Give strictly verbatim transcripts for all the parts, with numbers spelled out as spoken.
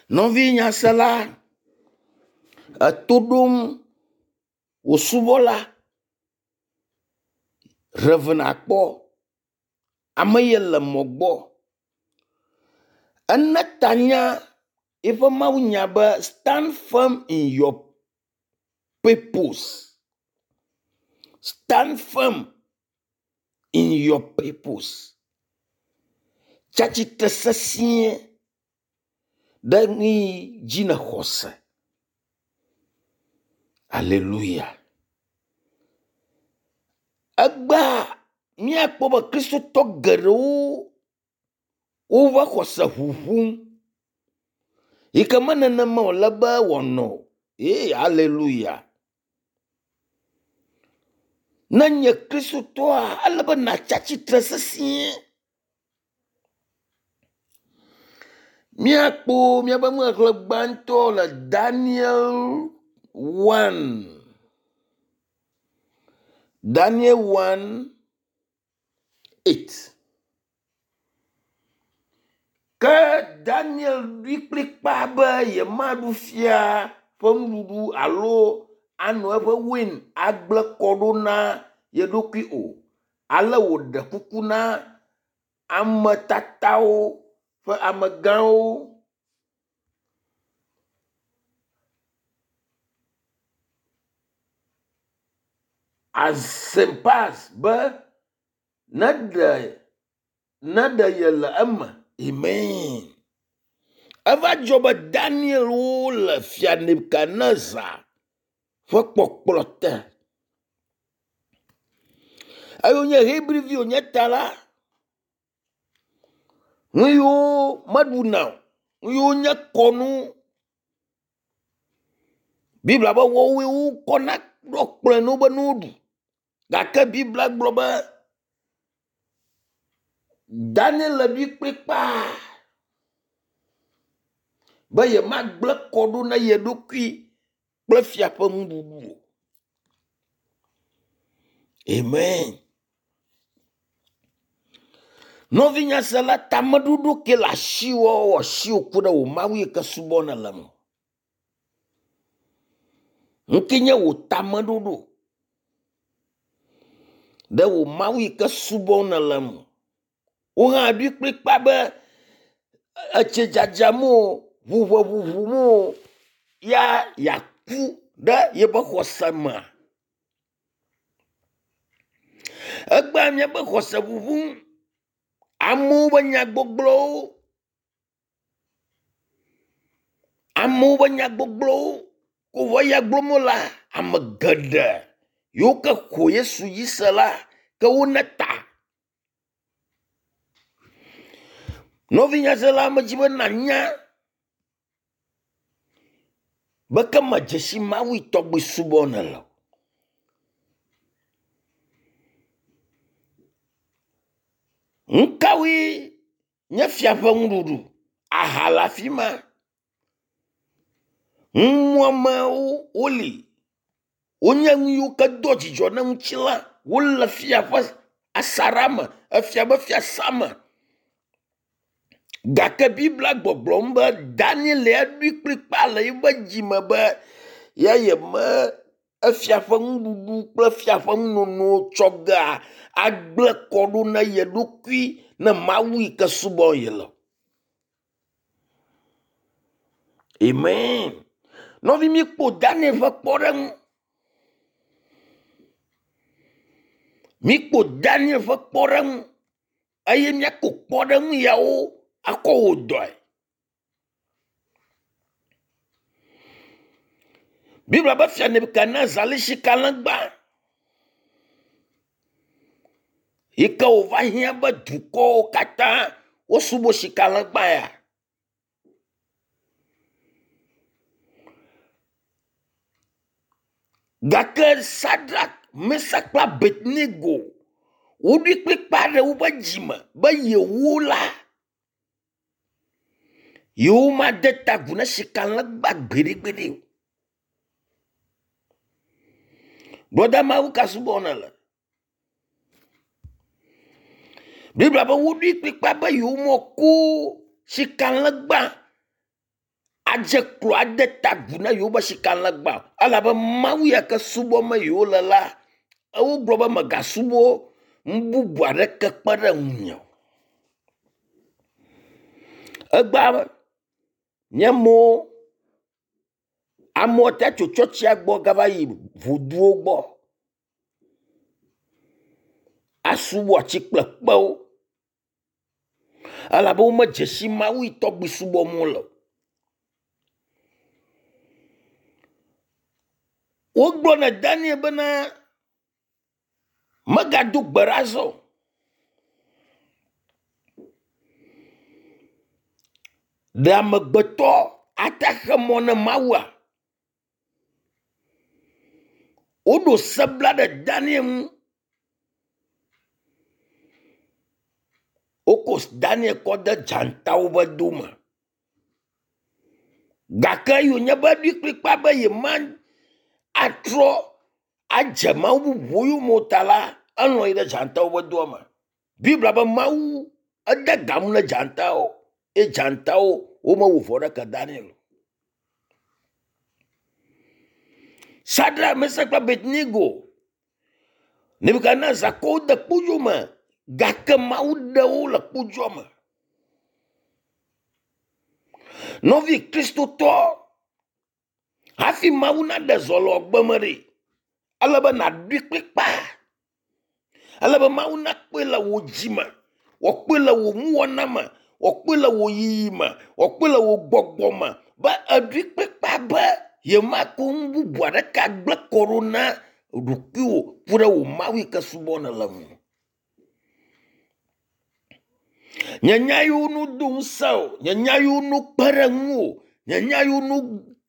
Nɔvi nyasela, eto ɖom wò subɔla Rev. Akpɔ, ame ye le mɔ gbɔ. Ena tanya eƒe mawunya be stand firm in your purpose. Stand firm in your purpose. Tsi atsitre sesĩe ɖe nu yi dzi nèxɔ se. Aleluya. Egbea míakpɔ be kristotɔ geɖewo woƒe xɔse ŋuŋum yi ke me nenema wòle be wòanɔ o. Ye aleluya. Ne enye kristotɔa, ele be nàtsi atsitre sesĩe. Míakpɔ míaƒe nuxexlẽ gbãtɔ le Daniel one. Daniel one eight. Ke Daniel ɖoe kplikpaa be yemaɖu fia ƒe nuɖuɖu alo ano eƒe wein agblẽ kɔ ɖo na ye ɖokui o. Ale wòɖe kuku na ame tatawo ƒe amegãwo. Azepas be neɖe neɖe ye le eme. Amen. Eva dzɔ be Daniel wo le fia Nebukadnezar ƒe kpɔkplɔ te. Eye wonye Hebrivi wonye ta la, nu yiwo meɖuna o, nu yiwo nye kɔnu, Biblia be woawoe wokɔna ɖo kplɔ̃e na wo be ne woɖu. Gake Biblia gblɔ be Daniel ɖoe kplikpaa be yemagblẽ kɔ ɖo na ye ɖokui kple fia ƒe nuɖuɖu o. Amen. Nɔvi nyasela, tameɖoɖo ke le asiwò asiwò ku ɖe wò Mawu yi ke subɔ nèle ŋu. Nu ke nye wò tameɖoɖo ɖe wò Mawu yi ke subɔ nèle ŋu. Wò hã ɖoe kplikpaa be etsi dzadzam o, ʋuʋe ʋuʋum o, ya yeaku ɖe yeƒe xɔse mea. Egbea míaƒe xɔse ʋuʋum, amewo ƒe nyagbɔgblɔwo, amewo ƒe nyagbɔgblɔwo ko vɔ ya gblɔm wolea, ame geɖe yiwo ke xɔ Yesu dzi se la, ke wona ta. Nɔvi nyasela, medzi be nànya be ke medze si Mawu yi tɔgbi subɔm nèle o. Nu kawoe nye fia ƒe nuɖuɖu? Aha le afi ma, numuamewo woli, wonye nu yiwo ke doa dzidzɔ na ŋutilã, wole fia ƒe asaɖa me, efia ƒe fiasa me. Gake Biblia gbɔgblɔm be Daniel ya ɖoe kplikpaa le eƒe dzime be ya yeme efia ƒe nuɖuɖu kple fia ƒe nunono tsɔ gea agblẽ kɔ ɖo na ye ɖokui ne Mawu yi ke subɔm yele. Amen. Nɔvi míekpɔ Daniel ƒe kpɔɖeŋu. Míekpɔ Daniel ƒe kpɔɖeŋu eye míako kpɔɖeŋu yawo akɔ wɔ dɔe. Biblia be fia Nebukadnezar li sikalegba yi ke wòva hiã be dukɔwo katã wosubɔ sikalegba ya. Gake Sadrak, Mesak kple Abednego woɖoe kplikpaa ɖe woƒe dzime be yewo la, yewomade ta agu na sikalegba gbeɖegbeɖe o. Brɔda Mawu ka subɔm nèle? Biblia be woɖoe kplikpaa be yewomako sikalegba adze klo ade ta agu na yewobe sikalegba o elabe Mawu ya ke subɔm yewole la, wogblɔ be megasubɔ nu bubu aɖeke kpe ɖe ŋunye o. Egbea nye amewo, amewo te tso tsɔtsia gbɔ gava yi voduwo gbɔ asubɔ atsi kple kpewo elabe womedze si Mawu yi tɔgbi subɔm wole o. Wogblɔ na Daniel bena megado gbe ɖa azɔ o. Ɖe amegbetɔ ate xe mɔ ne Mawua? Woɖo se bla ɖe Daniel ŋu. Woko Daniel kɔ de dzatawo ƒe do me. Gake eyi wònye be eɖoe kplikpaa be yema atrɔ adze mawu bubuwo yome o ta la, elɔ̃ yi ɖe dzatawo ƒe doa me. Biblia be Mawu ede ga nu ne dzatawo eye dzatawo womewɔ vɔ ɖeke Daniel o. Sadrak, Mesak kple Abednego, Nebukadnezar kɔ wo de kpodzo me gake Mawu ɖe wo le kpodzoa me. Nɔvi Kristotɔ, hafi Mawu naɖe zɔ le wò agbe me ɖe, ele be nàɖoe kplikpaa. Ele be Mawu nakpɔe le wò dzi me, wòakpɔe le wò nuwɔna me, wòakpɔe le wò yiyi me, wòakpɔe le wò gbɔgbɔ me be èɖoe kplikpaa be yemakɔ nu bubu aɖeke agblẽ kɔ ɖo na ɖokuiwò ku ɖe wò Mawu yi ke subɔm nèle ŋu. Nye nya yiwo nu do ŋusẽ o, nye nya yiwo nu kpe ɖe ŋuwò, nye nya yiwo nu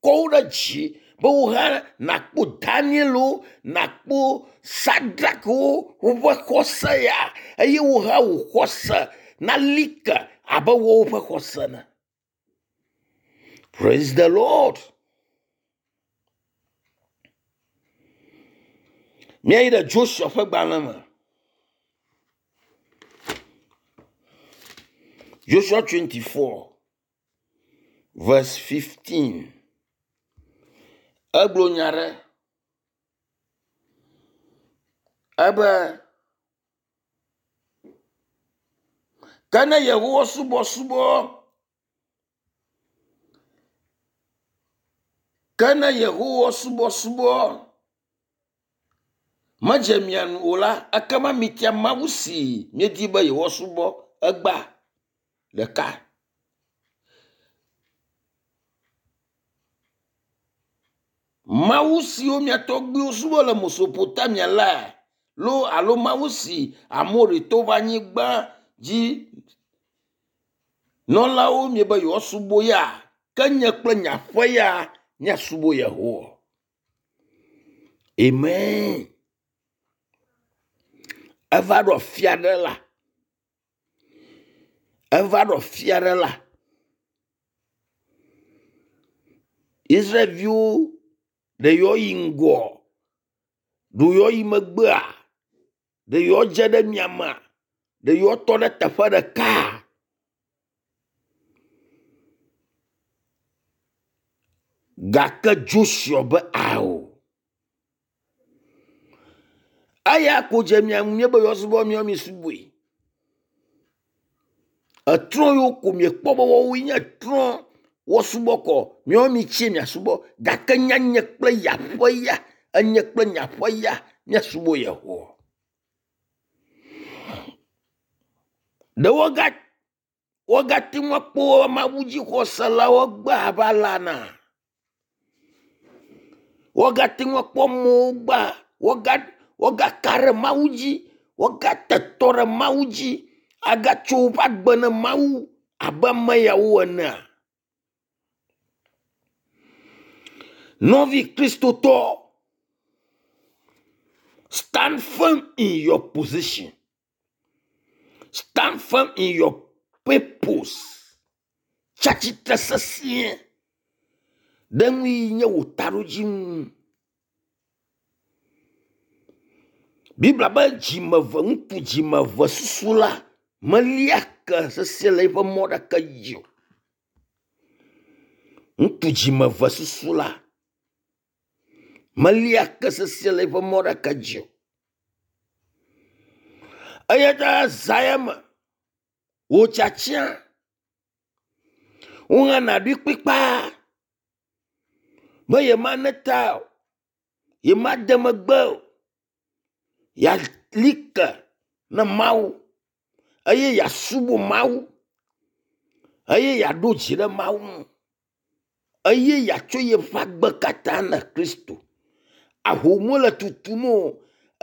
kɔ wo ɖe dzi be wò hã nàkpɔ Danielwo, nàkpɔ Sadrakwo woƒe xɔse ya eye wò hã wò xɔse nali ke abe woawo ƒe xɔse ene. Praise the Lord. Míayi ɖe Joshua ƒe gbalẽ me. Joshua twenty-four verse fifteen. Egblɔ nya ɖe ebe ke ne Yehowa subɔsubɔ ke ne Yehowa subɔsubɔ medze mia nu o la, ekema mitia Mawu si miedi be yewoasubɔ egbea ɖeka. Mawu siwo mia tɔgbuiwo subɔ le Mesopotamia la loo alo Mawu si Amoritɔwo ƒe anyigba dzi nɔlawo miebe yewoasubɔ ya, ke nye kple nye aƒe ya míasubɔ Yehowa. Amen. Eva ɖo afi aɖe la, eva ɖo afi aɖe la, Israelviwo ɖe yewoa yi ŋgɔ, ɖe yewoa yi megbea, ɖe yewoa dze ɖe miamea, ɖe yewoa tɔ ɖe teƒe ɖeka. Gake Joshua be ao. Eya ko dze mia ŋu míebe yewoasubɔ míawo mi subɔe. Etrɔ yiwo ko miekpɔ be woawoe nye trɔ woasubɔ kɔ, míawo mitsie miasubɔ. Gake nya nye kple yaƒe ya, enye kple nyaƒe ya míasubɔ Yehowa. Ɖe woaga woagate ŋu akpɔ mawudzixɔselawo gbe abe alea na? Woagate ŋu akpɔ amewo gbea, woaga woagaka ɖe Mawu dzi, woagate tɔ ɖe Mawu dzi, agatso woƒe agbe ne Mawu abe ame yawo enea? Nɔvi Kristotɔ, stand firm in your position. Stand firm in your purpose. Tsi atsitre sesĩe ɖe nu yi nye wò taɖodzinu. Biblia be dzimeve ŋutsu dzimeve susu la melia ke sesĩe le eƒe mɔ ɖeke dzi o. Ŋutsu dzimeve susu la melia ke sesĩe le eƒe mɔ ɖeke dzi o. Eya ta zã ya me, wò tiatia, wò hã nàɖoe kplikpaa be yemana ta o, yemade megbe o, yeali ke na Mawu eye yeasubɔ Mawu eye yeaɖo dzi ɖe Mawu ŋu eye yeatsɔ yeƒe agbe katã na Kristo. Ahom le tutum o,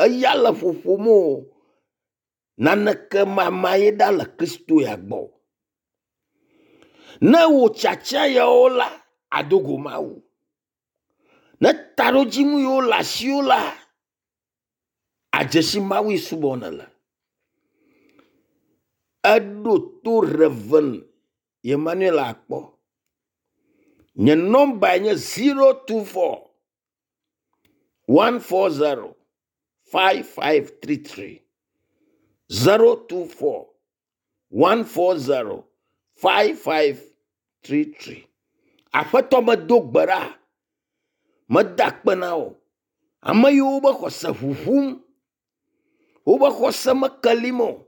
eya le ƒoƒom o, naneke mama ye ɖa le Kristo ya gbɔ o. Ne wò tiatia yawo la, àdo go Mawu. Ne taɖodzinu yiwo le asiwò la, adze si Mawu yi subɔ nèle. Eɖo to Rev. Emmanuel Akpɔ. Nye nɔmbae nye zero two four one four zero five five three three zero two four one four zero five five three three. Aƒetɔ medo gbe ɖa, meda akpe na wò. Ame yiwo be xɔse ʋuʋum, wobe xɔse mekelim o.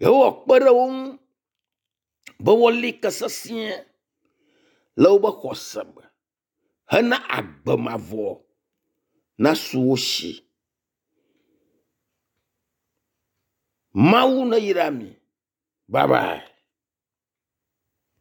Yehowa kpe ɖe wo ŋu be woali ke sesĩe le wobe xɔse me hena agbe mavɔ nasu wo si. Mawu neyra mi. Bye bye.